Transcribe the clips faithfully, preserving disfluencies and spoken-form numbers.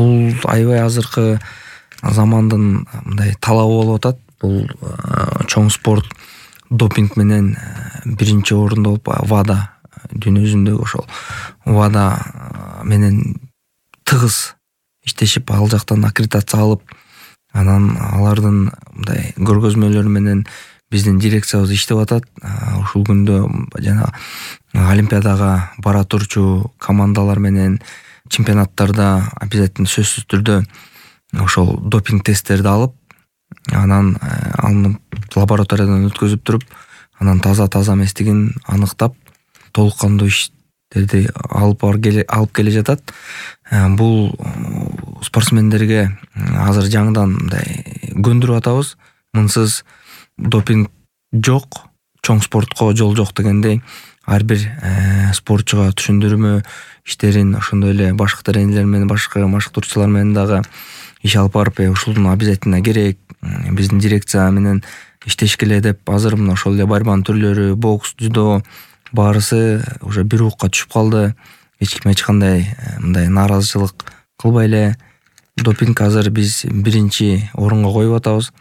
бул аябай азыркы замандын мындай талабы болуп атат. Бул чоң спорт допинг менен биринчи орунда болуп ВАДА дүйнө жүзүндөгү ошол ВАДА менен тыгыз иштешип, ал жактан аккредитация алып, анан алардын мындай көргөзмөлөрү менен биздин дирекциябыз иштеп атат. Ушул күндө жана олимпиадага бара турчу командалар менен чемпионаттарда обязательно сөзсүз түрдө ошол допинг тесттерди алып, анан аны лабораториядан өткөзүп туруп, анан таза-таза эместигин аныктап, толук кандуу иштерди алып алып келе жатат. Бул спортсмендерге азыр жаңыдан мындай көндүрүп атабыз. Мынсыз допинг жок, чоң спортко жол жок дегендей, ар бир спортчуга түшүндүрмө иштерин ошондой эле башкы тренерлер менен, башка машыктыруучулар менен дагы иш алып барып, ушулдун обязательно керек, биздин дирекция менен иштеш келе деп, азыр мына ошол эле борьбанын түрлөрү, бокс, дзюдо баарысы уже бир укка түшүп калды. Эч ким эч кандай мындай нааразычылык кылбай эле. Допинг азыр биз биринчи орунга коюп атабыз.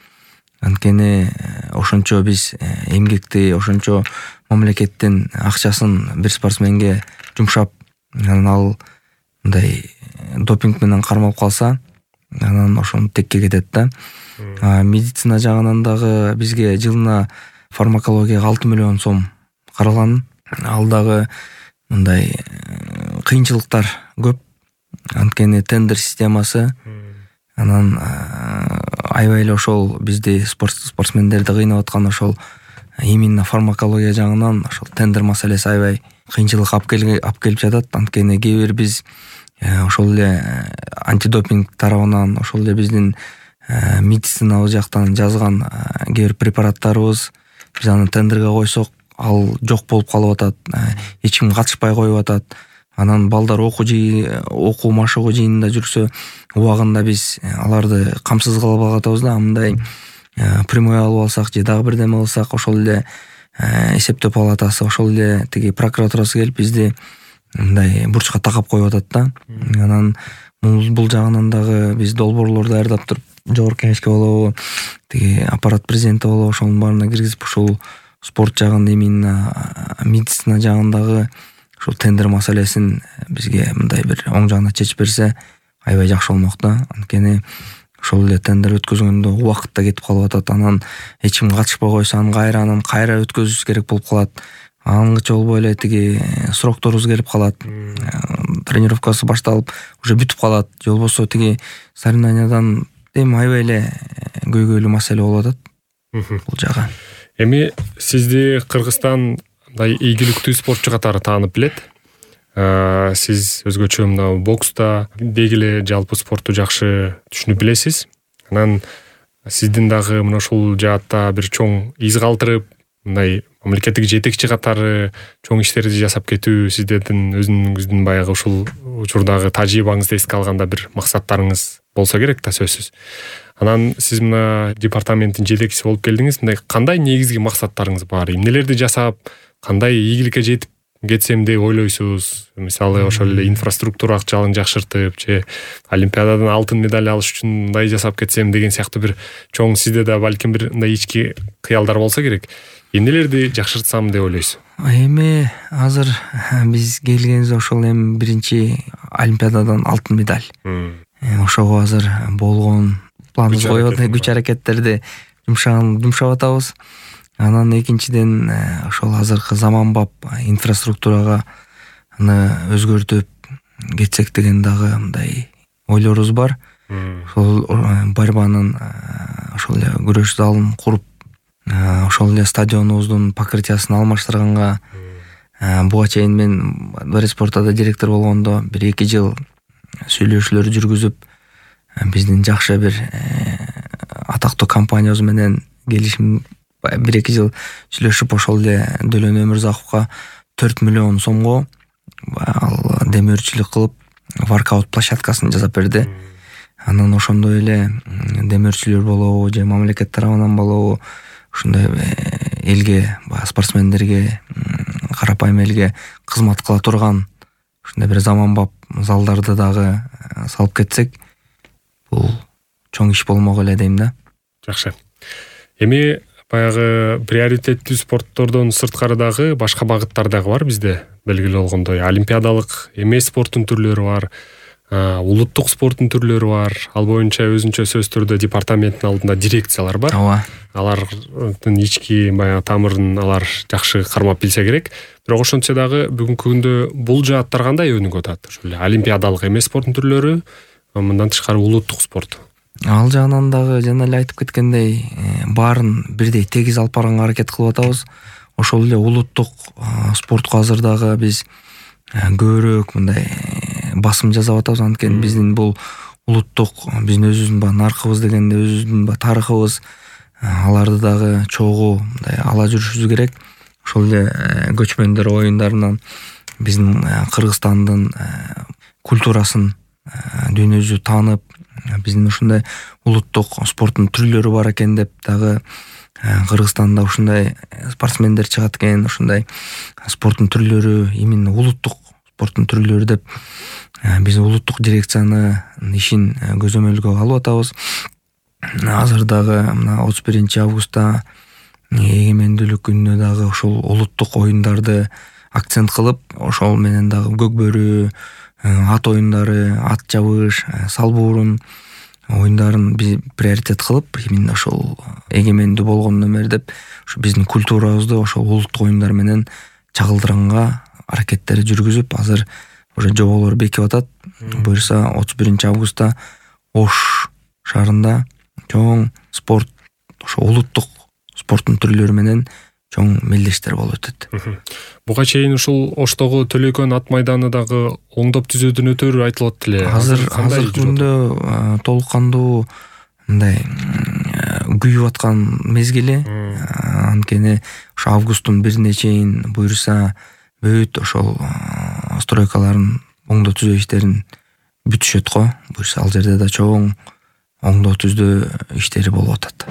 Анткени ошончо биз эмгекти, ошончо мамлекеттин акчасын бир спортсменге жумшап, анан ал мындай допинг менен кармалып калса, анан ошону текке кетет да. Медицина жагынан дагы бизге жылына фармакологияга алты миллион сом каралган. Ал дагы мындай кыйынчылыктар көп. Анткени тендер системасы, анан аябай эле ошол бизди спортсмендерди кыйнап аткан ошол именно фармакология жагынан ошол тендер маселеси аябай кыйынчылык алып келип жатат. Анткени кээ бир биз ошол эле антидопинг тарабынан, ошол эле биздин медицинабыз жактан жазган кээ бир препараттарыбыз, биз аны тендерге койсок, ал жок болуп калып атат, эч ким катышпай коюп атат. Анан балдар окуу жий, окуу машыгуу жыйынында жүрсө, убагында биз аларды камсыз кылып атабыз да. Мындай прямой алып алсак же дагы бирдеме кылсак, ошол эле эсептөө палатасы, ошол эле тиги прокуратурасы келип бизди мындай бурчка такап коюп атат да. Анан бул жагынан дагы биз долбоорлор даярдап туруп, жогорку кеңешке болобу, тиги аппарат президенти болобу, ошонун баарына киргизип, ушул спорт жагын, именно медицина жагындагы ушул тендер маселесин бизге мындай бир оң жагына чечип берсе, аябай жакшы болмок да. Анткени ошол эле тендер өткөзгөндө убакыт да кетип калып атат. Анан эч ким катышпай койсо, анан кайра анан кайра өткөзүш керек болуп калат. Аңгыча болбой эле тиги срокторубуз келип калат. Тренировкасы башталып, уже бүтүп калат. Же болбосо тиги соревнованиядан эми аябай эле көйгөйлүү маселе болуп атат бул жагы. Эми сизди Кыргызстан мындай ийгиликтүү спортчу катары таанып билет. Сиз өзгөчө мына бокста деги эле жалпы спортту жакшы түшүнүп билесиз. Анан сиздин дагы мына ушул жаатта бир чоң из калтырып, мындай мамлекеттик жетекчи катары чоң иштерди жасап кетүү сиздердин өзүңүздүн баягы ушул учурдагы тажрыйбаңызды эске алганда бир максаттарыңыз болсо керек да, сөзсүз. Анан сиз мына департаменттин жетекчиси болуп келдиңиз. Мындай кандай негизги максаттарыңыз бар? Эмнелерди жасап, кандай ийгиликке жетип кетсем деп ойлойсуз? Мисалы, ошол эле инфраструктура акчалыгын жакшыртып, же олимпиададан алтын медаль алыш үчүн мындай жасап кетсем деген сыяктуу бир чоң сизде да балким бир мындай ички кыялдар болсо керек. Эмнелерди жакшыртсам деп ойлойсуз? Эми азыр биз келгенибизде ошол эми биринчи олимпиададан алтын медаль. Ошого азыр болгон планыбыз коюп атат, күч аракеттерди жумшап атабыз. Анан экинчиден ошол азыркы заманбап инфраструктурага аны өзгөртүп кетсек деген дагы мындай ойлорубуз бар. Ошол борьбанын ошол эле күрөш залын куруп, ошол эле стадионубуздун покрытиясын алмаштырганга, буга чейин мен Дворец спортада директор болгондо бир эки жыл сүйлөшүүлөр жүргүзүп, биздин жакшы бир атактуу компаниябыз менен келишим бир эки жыл сүйлөшүп, ошол эле Дөлөн Өмүрзаковго төрт миллион сомго ал демөөрчүлүк кылып воркаут площадкасын жасап берди. Анан ошондой эле демөөрчүлөр болобу же мамлекет тарабынан болобу, ушундай элге, спортсмендерге, карапайым элге кызмат кыла турган ушундай бир заманбап залдарды дагы салып кетсек, бул чоң иш болмок эле дейм да. Жакшы. Эми баягы приоритеттүү спорттордон сырткары дагы башка багыттар дагы бар бизде, белгилүү болгондой. Олимпиадалык эмес спорттун түрлөрү бар, улуттук спорттун түрлөрү бар. Ал боюнча өзүнчө сөз түрдө департаменттин алдында дирекциялар бар. Ооба. Алардын ички баягы тамырын алар жакшы кармап билсе керек. Бирок ошентсе дагы бүгүнкү күндө бул жааттар кандай өнүгүп атат? Ошо эле олимпиадалык эмес спорттун түрлөрү, мындан тышкары улуттук спорт. Ал жагынан дагы жана эле айтып кеткендей, баарын бирдей тегиз алып барганга аракет кылып атабыз. Ошол эле улуттук спортко азыр дагы биз көбүрөөк мындай басым жасап атабыз. Анткени биздин бул улуттук, биздин өзүбүздүн баягы наркыбыз дегенде өзүбүздүн баягы тарыхыбыз, аларды дагы чогуу мындай ала жүрүшүбүз керек. Ошол эле көчмөндөр оюндарынан биздин Кыргызстандын культурасын дүйнө жүзү таанып, биздин ушундай улуттук спорттун түрлөрү бар экен деп дагы Кыргызстанда ушундай спортсмендер чыгат экен, ушундай спорттун түрлөрү, именно улуттук спорттун түрлөрү деп биз улуттук дирекциянын ишин көзөмөлгө алып атабыз. Азыр дагы мына отуз биринчи августта эгемендүүлүк күнүнө дагы ошол улуттук оюндарды акцент кылып, ошол менен дагы көкбөрү, ат оюндары, ат жабыш, салбуурун оюндарын биз приоритет кылып, именно ошол эгемендүү болгондон бери деп ушу биздин культурабызды ошол улуттук оюндар менен чагылдыранга аракеттер жүргүзүп, азыр уже жоболор бекип атат. Буюрса отуз биринчи августта Ош шаарында чоң спорт, ошо улуттук спорттун түрлөрү менен чоң мелдештер болуп өтөт. Буга чейин ушул Оштогу Төлөкөн ат майданы дагы оңдоп түзүүдүн өтөрү айтылат эле. Азыр азыр күндө толук кандуу мындай күйүп аткан мезгили. Анткени ошо августтун бирине чейин буюрса бүт ошол стройкаларын оңдоо түзөө иштерин бүтүшөт го. Буюрса ал жерде да чоң оңдоо түздөө иштери болуп атат.